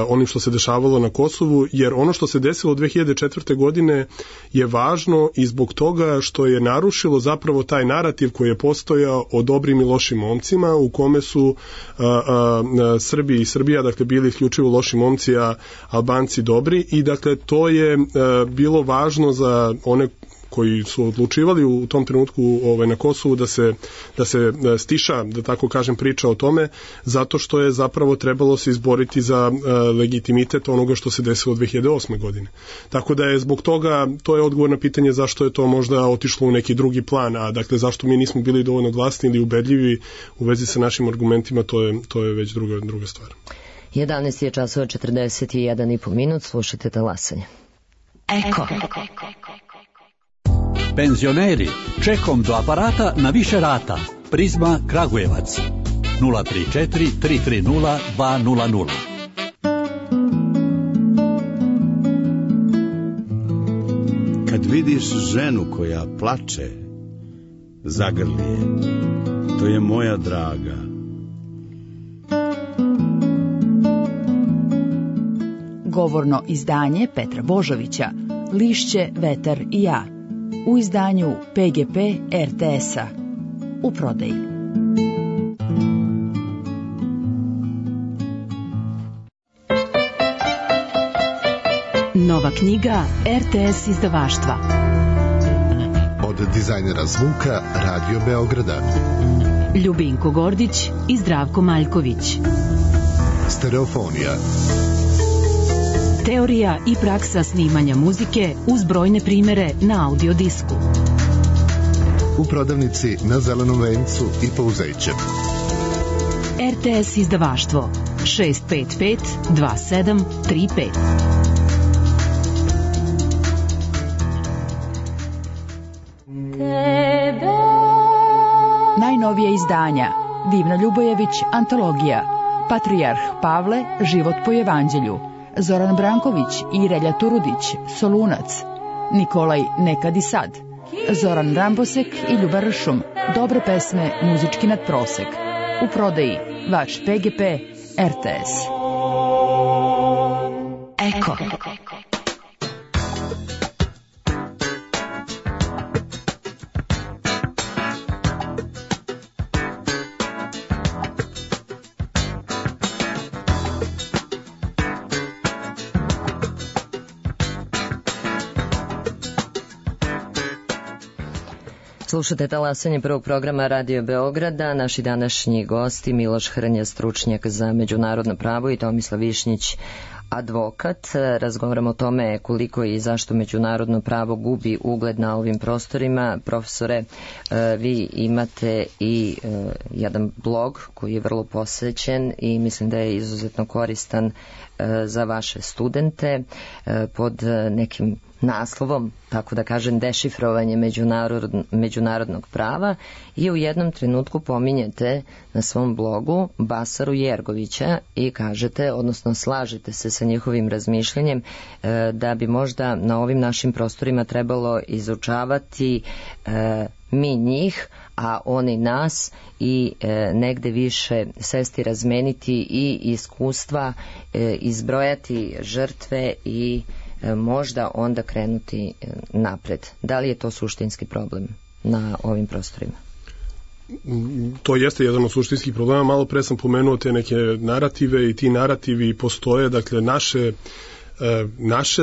onim što se dešavalo na Kosovu, jer ono što se desilo 2004. godine je važno i zbog toga što je narušilo zapravo taj narativ koji je postojao o dobrim i lošim momcima, u kome su Srbi i Srbija, dakle, bili isključivo loši momci, a Albanci dobri, i dakle to je bilo važno za one koji su odlučivali u tom trenutku na Kosovu da se stiša, da tako kažem, priča o tome, zato što je zapravo trebalo se izboriti za legitimitet onoga što se desilo 2008. godine. Tako da je zbog toga, to je odgovor na pitanje zašto je to možda otišlo u neki drugi plan, a dakle zašto mi nismo bili dovoljno glasni ili ubedljivi u vezi sa našim argumentima, to je već druga stvar. 11 je časova 41,5 minut, slušajte Talasanje. Eko. Penzioneri, čekom do aparata na više rata. Prizma Kragujevac 034 330 200. Kad vidiš ženu koja plače, zagrli je. To je moja draga. Govorno izdanje Petra Božovića, Lišće, vetar i ja, u izdanju PGP RTS-a, u prodaji. Nova knjiga RTS izdavaštva. Od dizajnera zvuka Radio Beograda. Ljubinko Gordić i Zdravko Maljković. Stereofonija. Teorija i praksa snimanja muzike uz brojne primere na audio disku. U prodavnici na Zelenom vencu i Pouzeće. RTS izdavaštvo 655 2735. Najnovije izdanja: Divna Ljubojević, antologija, Patrijarh Pavle, život po evanđelju, Zoran Branković i Relja Turudić, Solunac, Nikolaj Nekad i sad, Zoran Rambosek i Ljuba Ršum, dobre pesme, muzički nadprosek. U prodaji vaš PGP RTS. Eko. Slušate Talasanje prvog programa Radio Beograda. Naši današnji gosti Miloš Hrnja, stručnjak za međunarodno pravo, i Tomislav Višnjić, advokat. Razgovaramo o tome koliko i zašto međunarodno pravo gubi ugled na ovim prostorima. Profesore, vi imate i jedan blog koji je vrlo posvećen i mislim da je izuzetno koristan za vaše studente pod nekim naslovom, tako da kažem, dešifrovanje međunarodnog prava i u jednom trenutku pominjete na svom blogu Basaru Jergovića i kažete, odnosno slažete se sa njihovim razmišljanjem da bi možda na ovim našim prostorima trebalo izučavati mi njih, a oni nas i negde više sesti, razmeniti i iskustva, izbrojati žrtve i možda onda krenuti napred. Da li je to suštinski problem na ovim prostorima? To jeste jedan od suštinskih problema. Malo pre sam pomenuo te neke narative i ti narativi postoje, dakle naše,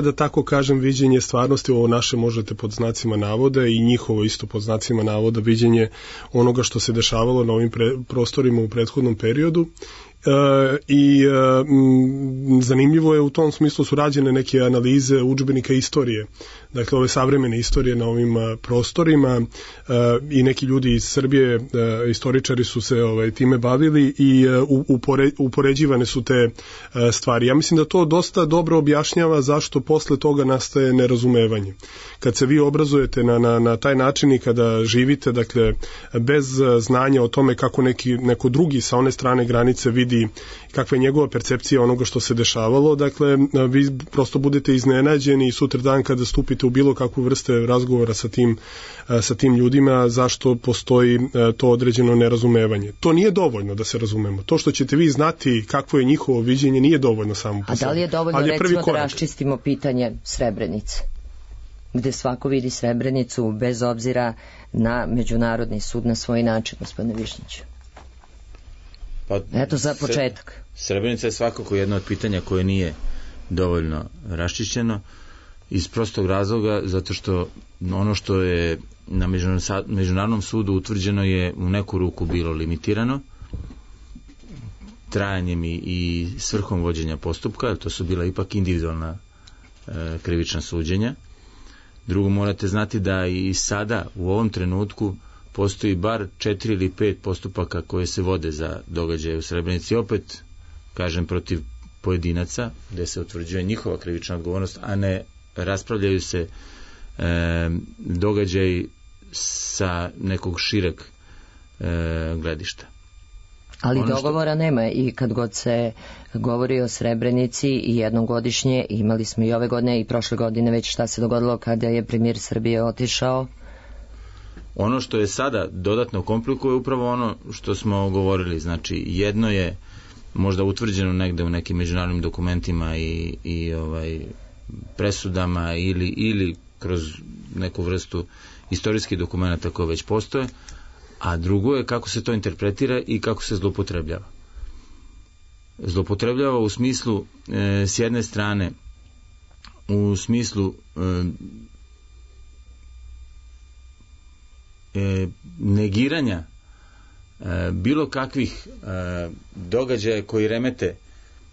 da tako kažem, viđenje stvarnosti, ovo naše možete pod znacima navoda i njihovo isto pod znacima navoda viđenje onoga što se dešavalo na ovim prostorima u prethodnom periodu. Zanimljivo je u tom smislu su rađene neke analize udžbenika istorije, dakle ove savremene istorije na ovim prostorima i neki ljudi iz Srbije, istoričari su se time bavili i upoređivane su te stvari. Ja mislim da to dosta dobro objašnjava zašto posle toga nastaje nerazumevanje. Kad se vi obrazujete na taj način i kada živite, dakle bez znanja o tome kako neko drugi sa one strane granice vidi kakva je njegova percepcija onoga što se dešavalo, dakle vi prosto budete iznenađeni i sutra dan kada stupite u bilo kakvu vrste razgovora sa tim ljudima, zašto postoji to određeno nerazumevanje. To nije dovoljno da se razumemo. To što ćete vi znati kakvo je njihovo viđenje nije dovoljno samo po sebi. A da li je dovoljno recimo da raščistimo pitanje Srebrenice, gde svako vidi Srebrenicu bez obzira na međunarodni sud na svoj način, gospodine Višnjiću? Eto za početak. Srebrenica je svakako jedno od pitanja koje nije dovoljno raščišćeno iz prostog razloga zato što ono što je na međunarodnom sudu utvrđeno je u neku ruku bilo limitirano trajanjem i svrhom vođenja postupka, to su bila ipak individualna krivična suđenja. Drugo, morate znati da i sada u ovom trenutku postoji bar 4 ili 5 postupaka koje se vode za događaje u Srebrenici, opet kažem protiv pojedinaca gde se utvrđuje njihova krivična odgovornost, a ne raspravljaju se događaji sa nekog šireg gledišta. Ali dogovora nema i kad god se govori o Srebrenici i jednogodišnje, imali smo i ove godine i prošle godine već šta se dogodilo kada je premijer Srbije otišao. Ono što je sada dodatno komplikuje upravo ono što smo govorili, znači jedno je možda utvrđeno negde u nekim međunarodnim dokumentima i presudama ili kroz neku vrstu istorijskih dokumenta koje već postoje, a drugo je kako se to interpretira i kako se zloupotrebljava. Zloupotrebljava u smislu s jedne strane u smislu negiranja bilo kakvih događaja koji remete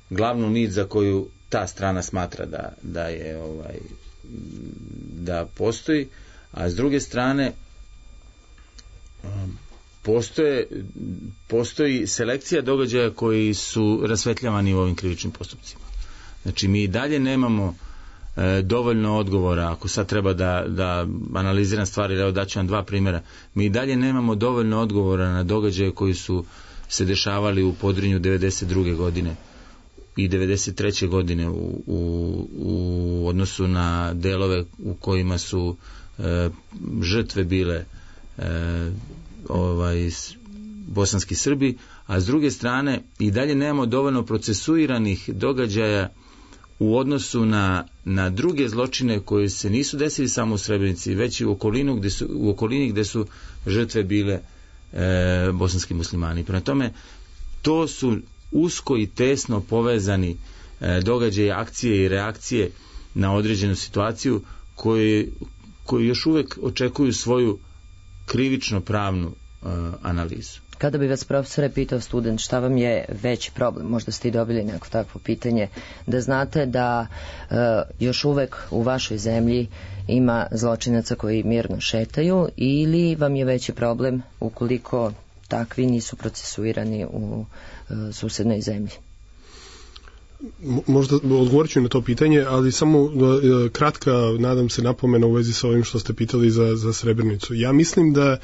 glavnu nit za koju ta strana smatra da postoji, a s druge strane postoji selekcija događaja koji su rasvetljavani u ovim krivičnim postupcima. Znači mi i dalje nemamo dovoljno odgovora, ako sad treba da analiziram stvari, evo daću vam 2 primjera, mi i dalje nemamo dovoljno odgovora na događaje koji su se dešavali u Podrinju 92. godine i 93. godine u odnosu na delove u kojima su žrtve bile bosanski Srbi, a s druge strane i dalje nemamo dovoljno procesuiranih događaja u odnosu na druge zločine koji se nisu desili samo u Srebrenici, već i u okolini gde su žrtve bile bosanski muslimani. Prema tome, to su usko i tesno povezani događaji, akcije i reakcije na određenu situaciju koji još uvek očekuju svoju krivično-pravnu analizu. Kada bi vas, profesore, pitao student šta vam je veći problem, možda ste i dobili neko takvo pitanje, da znate da još uvek u vašoj zemlji ima zločinaca koji mirno šetaju, ili vam je veći problem ukoliko takvi nisu procesuirani u susednoj zemlji? Možda odgovorit ću na to pitanje, ali samo kratka, nadam se, napomena u vezi sa ovim što ste pitali za Srebrenicu. Ja mislim da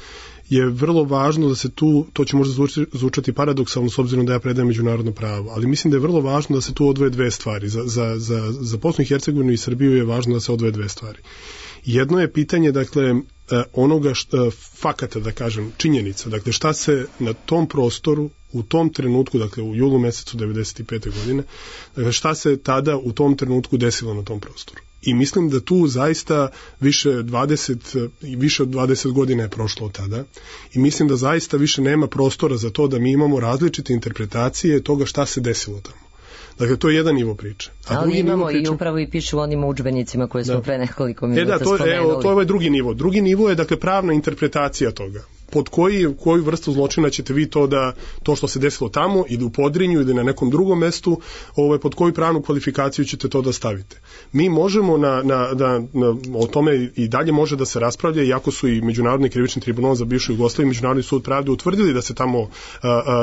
je vrlo važno da se tu, to će možda zvučati paradoksalno s obzirom da ja predajem međunarodno pravo, ali mislim da je vrlo važno da se tu odvoje dve stvari. Za Bosnu i Hercegovinu i Srbiju je važno da se odvoje dve stvari. Jedno je pitanje, dakle, onoga fakata, da kažem, činjenica, dakle, šta se na tom prostoru u tom trenutku, dakle u julu mesecu 95. godine, dakle, šta se tada u tom trenutku desilo na tom prostoru. I mislim da tu zaista više od 20 godina je prošlo od tada i mislim da zaista više nema prostora za to da mi imamo različite interpretacije toga šta se desilo tamo. Dakle, to je jedan nivo priče. Ali imamo i upravo i piše u onim udžbenicima koje smo pre nekoliko minuta spomenuli. To je ovaj drugi nivo. Drugi nivo je, dakle, pravna interpretacija toga. Pod koju vrstu zločina ćete vi to što se desilo tamo ili u Podrinju ili na nekom drugom mestu, pod koju pravnu kvalifikaciju ćete to da stavite. Mi možemo o tome i dalje može da se raspravlja, iako su i Međunarodni krivični tribunal za bivšu Jugoslaviju i Međunarodni sud pravde utvrdili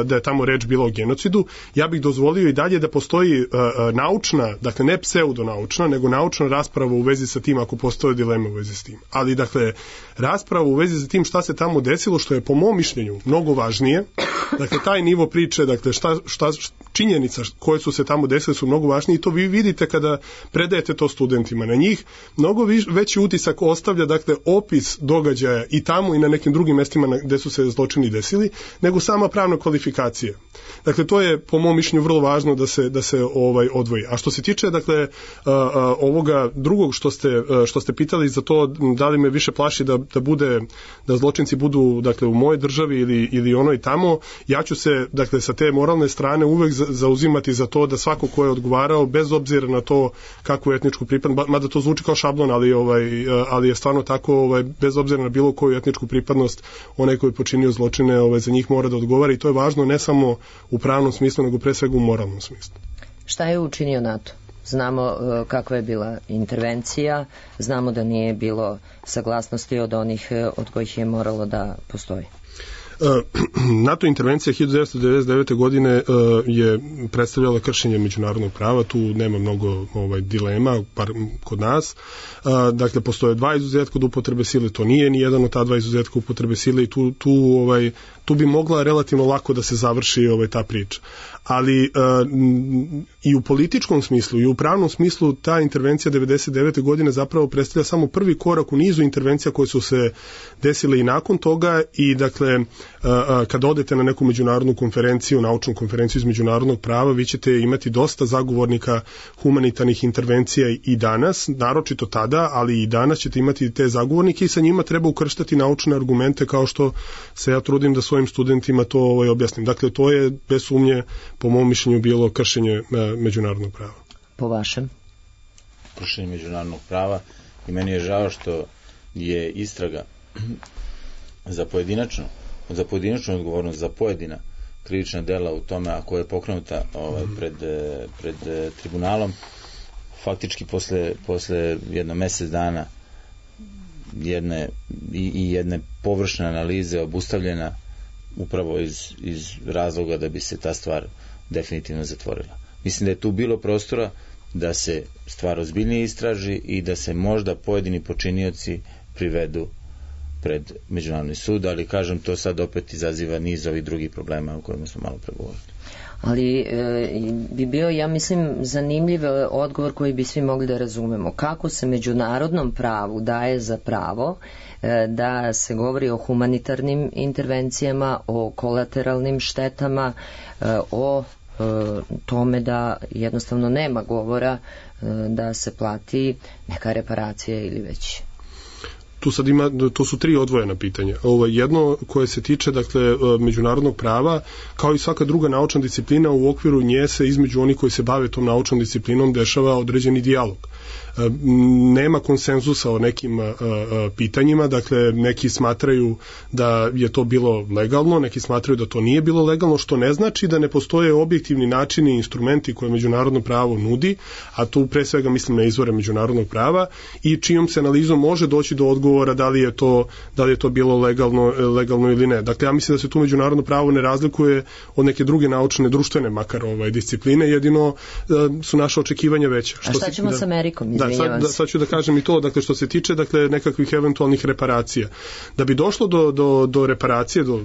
da je tamo reč bila o genocidu. Ja bih dozvolio i dalje da postoji naučna, dakle ne pseudonaučna, nego naučna rasprava u vezi sa tim ako postoje dileme u vezi s tim. Ali, dakle, rasprava u vezi sa tim šta se tamo desilo, što je po mom mišljenju mnogo važnije, dakle taj nivo priče, dakle šta činjenica koje su se tamo desile su mnogo važnije i to vi vidite kada predajete to studentima. Na njih mnogo veći utisak ostavlja, dakle, opis događaja i tamo i na nekim drugim mestima gde su se zločini desili, nego sama pravna kvalifikacija. Dakle, to je po mom mišljenju vrlo važno da se odvoji. A što se tiče, dakle, ovoga drugog što ste pitali za to da li me više plaši da zločinci budu, dakle, u mojoj državi ili onoj tamo, ja ću se, dakle, sa te moralne strane uvek zauzimati za to da svako ko je odgovarao, bez obzira na to kakvu etničku pripadnost, mada to zvuči kao šablon, ali je stvarno tako, bez obzira na bilo koju etničku pripadnost, onaj koji je počinio zločine, za njih mora da odgovara i to je važno ne samo u pravnom smislu, nego pre svega u moralnom smislu. Šta je učinio NATO? Znamo kakva je bila intervencija, znamo da nije bilo saglasnosti od onih od kojih je moralo da postoji. NATO intervencija 1999. godine je predstavljala kršenje međunarodnog prava, tu nema mnogo dilema, par kod nas. Dakle, postoje dva izuzetka od upotrebe sile, to nije ni jedan od ta dva izuzetka upotrebe sile i tu bi mogla relativno lako da se završi ta priča. Ali i u političkom smislu i u pravnom smislu ta intervencija 1999. godine zapravo predstavlja samo prvi korak u nizu intervencija koje su se desile i nakon toga i, dakle, kada odete na neku međunarodnu konferenciju, naučnu konferenciju iz međunarodnog prava, vi ćete imati dosta zagovornika humanitarnih intervencija i danas, naročito tada, ali i danas ćete imati te zagovornike i sa njima treba ukrštati naučne argumente kao što se ja trudim da svojim studentima to objasnim. Dakle, to je bez sumnje po mom mišljenju bilo kršenje međunarodnog prava. Po vašem? Kršenje međunarodnog prava i meni je žao što je istraga za pojedinačnu odgovornost za pojedina krivična dela u tome, a koja je pokrenuta pred tribunalom, faktički posle jedno mesec dana jedne površne analize obustavljena upravo iz razloga da bi se ta stvar definitivno zatvorila. Mislim da je tu bilo prostora da se stvar ozbiljnije istraži i da se možda pojedini počinioci privedu pred Međunarodni sud, ali kažem, to sad opet izaziva niz ovih drugih problema o kojima smo malo pregovorili. Ali bi bio, ja mislim, zanimljiv odgovor koji bi svi mogli da razumemo. Kako se međunarodnom pravu daje za pravo da se govori o humanitarnim intervencijama, o kolateralnim štetama, o tome da jednostavno nema govora da se plati neka reparacija ili već... To su tri odvojena pitanja. Jedno koje se tiče, dakle, međunarodnog prava, kao i svaka druga naučna disciplina, u okviru nje se između onih koji se bave tom naučnom disciplinom dešava određeni dijalog. Nema konsenzusa o nekim pitanjima, dakle, neki smatraju da je to bilo legalno, neki smatraju da to nije bilo legalno, što ne znači da ne postoje objektivni načini i instrumenti koje međunarodno pravo nudi, a tu pre svega mislim na izvore međunarodnog prava i čijom se analizom može doći do odgovora razgovora da li je to bilo legalno ili ne. Dakle, ja mislim da se tu međunarodno pravo ne razlikuje od neke druge naučne, društvene makar discipline, jedino su naše očekivanja veća. A šta ćemo s Amerikom? Sad ću da kažem i to, dakle, što se tiče nekakvih eventualnih reparacija. Da bi došlo do reparacije, do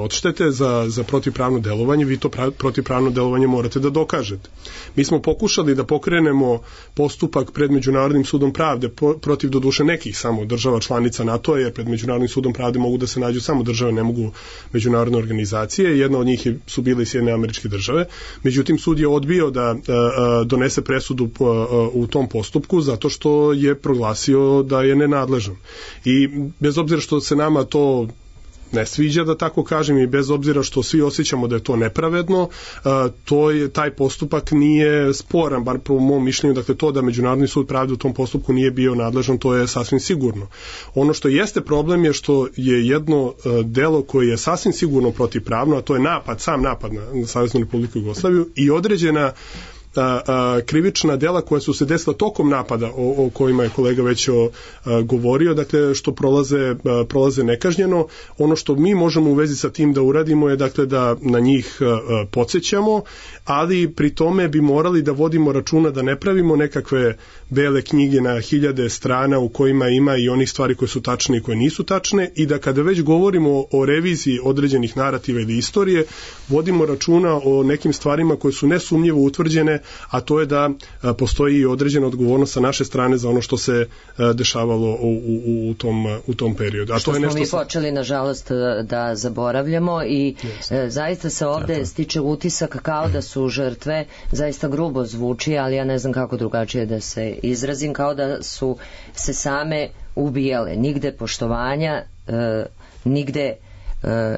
odštete za protivpravno delovanje, vi to protivpravno delovanje morate da dokažete. Mi smo pokušali da pokrenemo postupak pred Međunarodnim sudom pravde protiv doduše nekih samo država članica NATO-a, jer pred Međunarodnim sudom pravde mogu da se nađu samo države, ne mogu međunarodne organizacije. Jedna od njih su bile i Sjedinjene Američke Države. Međutim, sud je odbio da donese presudu u tom postupku zato što je proglasio da je nenadležan. I bez obzira što se nama to ne sviđa, da tako kažem, i bez obzira što svi osjećamo da je to nepravedno, taj postupak nije sporan, bar po mom mišljenju. Dakle, to da Međunarodni sud pravde u tom postupku nije bio nadležan, to je sasvim sigurno. Ono što jeste problem je što je jedno delo koje je sasvim sigurno protivpravno, a to je sam napad na Saveznu Republiku Jugoslaviju i određena krivična dela koja su se desila tokom napada o kojima je kolega već govorio, dakle, što prolaze nekažnjeno. Ono što mi možemo u vezi sa tim da uradimo je, dakle, da na njih podsećamo, ali pri tome bi morali da vodimo računa da ne pravimo nekakve bele knjige na 1000 strana u kojima ima i onih stvari koje su tačne i koje nisu tačne, i da kada već govorimo o reviziji određenih narativa ili istorije, vodimo računa o nekim stvarima koje su nesumnjivo utvrđene, a to je da postoji i određena odgovornost sa naše strane za ono što se dešavalo u tom periodu. A što to je smo mi počeli, nažalost, da zaboravljamo i zaista se ovde stiče utisak kao da su žrtve, zaista grubo zvuči, ali ja ne znam kako drugačije da se izrazim, kao da su se same ubijale. Nigde poštovanja, nigde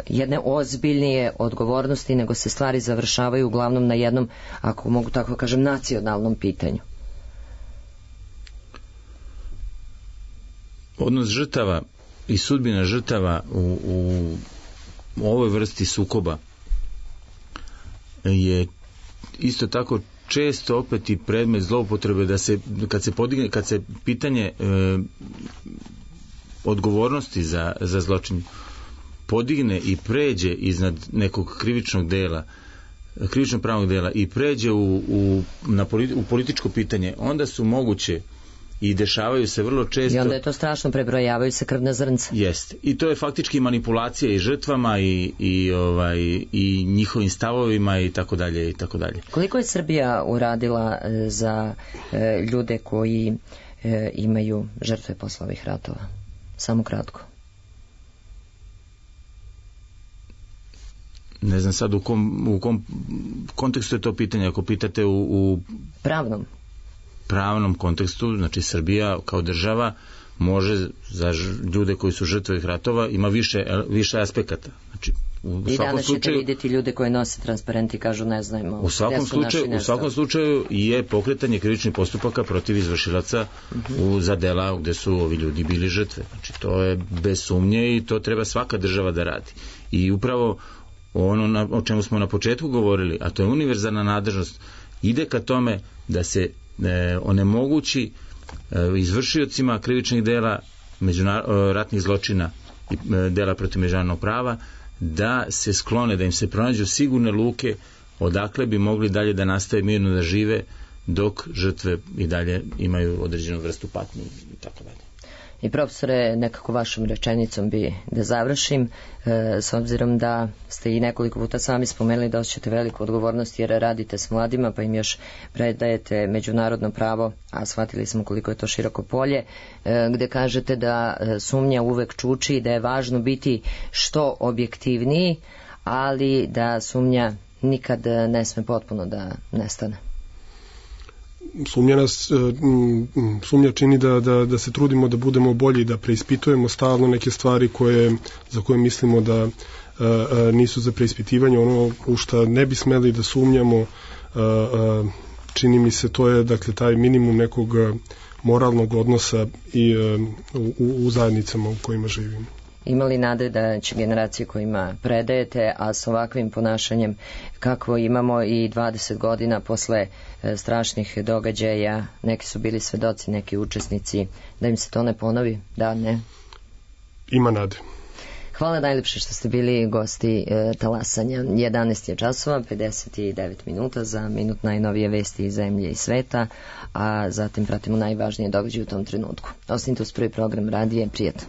jedne ozbiljnije odgovornosti, nego se stvari završavaju uglavnom na jednom, ako mogu tako kažem, nacionalnom pitanju. Odnos žrtava i sudbina žrtava u ovoj vrsti sukoba je isto tako često opet i predmet zloupotrebe, da se kad se pitanje odgovornosti za zločin podigne i pređe iznad nekog krivično pravnog dela i pređe u političko pitanje, onda su moguće i dešavaju se vrlo često. I onda je to strašno, prebrojavaju se krvna zrnca. Jeste. I to je faktički manipulacija i žrtvama i njihovim stavovima i tako dalje i tako dalje. Koliko je Srbija uradila za ljude koji imaju žrtve posle ovih ratova? Samo kratko. Ne znam sad u kom kontekstu je to pitanje. Ako pitate u pravnom kontekstu, znači Srbija kao država može za ljude koji su žrtve ovih ratova ima više aspekata. Znači, i danas ćete vidjeti ljude koji nose transparenti i kažu ne znamo. U svakom slučaju je pokretanje krivičnih postupaka protiv izvršilaca za dela gde su ovi ljudi bili žrtve. Znači, to je bez sumnje i to treba svaka država da radi. I upravo ono o čemu smo na početku govorili, a to je univerzalna nadležnost, ide ka tome da se onemogući izvršiocima krivičnih dela, ratnih zločina i dela protiv međunarodnog prava, da se sklone, da im se pronađu sigurne luke odakle bi mogli dalje da nastave mirno da žive, dok žrtve i dalje imaju određenu vrstu patnje i tako dalje. I profesore, nekako vašom rečenicom bi da završim, s obzirom da ste i nekoliko puta sami spomenuli da osjećate veliku odgovornost jer radite s mladima pa im još predajete međunarodno pravo, a shvatili smo koliko je to široko polje, gde kažete da sumnja uvek čuči i da je važno biti što objektivniji, ali da sumnja nikad ne sme potpuno da nestane. Sumnja čini da se trudimo da budemo bolji, da preispitujemo stalno neke stvari za koje mislimo da nisu za preispitivanje. Ono u što ne bi smeli da sumnjamo, čini mi se, to je dakle taj minimum nekog moralnog odnosa i u zajednicama u kojima živimo. imali nade da će generacije kojima predajete, a s ovakvim ponašanjem kakvo imamo i 20 godina posle strašnih događaja, neki su bili svedoci, neki učesnici, da im se to ne ponovi? Da, ne? Ima nade. Hvala najljepše što ste bili gosti talasanja. 11 je časova, 59 minuta, za minut najnovije vesti iz zemlje i sveta, a zatim pratimo najvažnije događaje u tom trenutku. Ostanite uz prvi program radije, prijatno.